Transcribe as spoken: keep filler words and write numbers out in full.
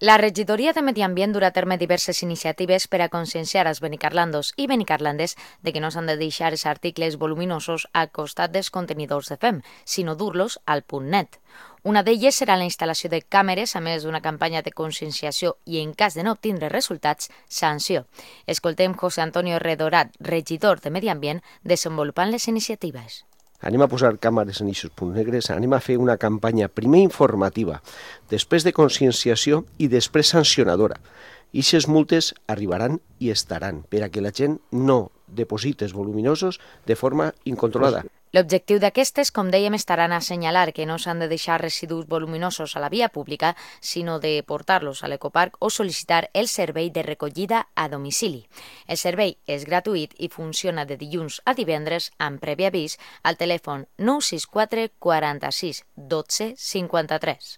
La regidoria de Medi Ambient durà a terme diverses iniciatives per a conscienciar els benicarlandos i benicarlandes de que no s'han de deixar els articles voluminosos al costat dels contenidors de fem, sinó dur-los al punt net. Una d'elles serà la instal·lació de càmeres, a més d'una campanya de conscienciació i, en cas de no obtindre resultats, sanció. Escoltem José Antonio Redorat, regidor de Medi Ambient, desenvolupant les iniciatives. Anem a posar càmeres en aquests punts negres, anem a fer una campanya primer informativa, després de conscienciació i després sancionadora. I aquestes multes arribaran i estaran per a que la gent no deposites voluminosos de forma incontrolada. L'objectiu d'aquestes, com dèiem, estaran a assenyalar que no s'han de deixar residus voluminosos a la via pública, sinó de portar-los a l'ecoparc o sol·licitar el servei de recollida a domicili. El servei és gratuït i funciona de dilluns a divendres amb previ avís al telèfon nou sis quatre quaranta-sis dotze cinquanta-tres.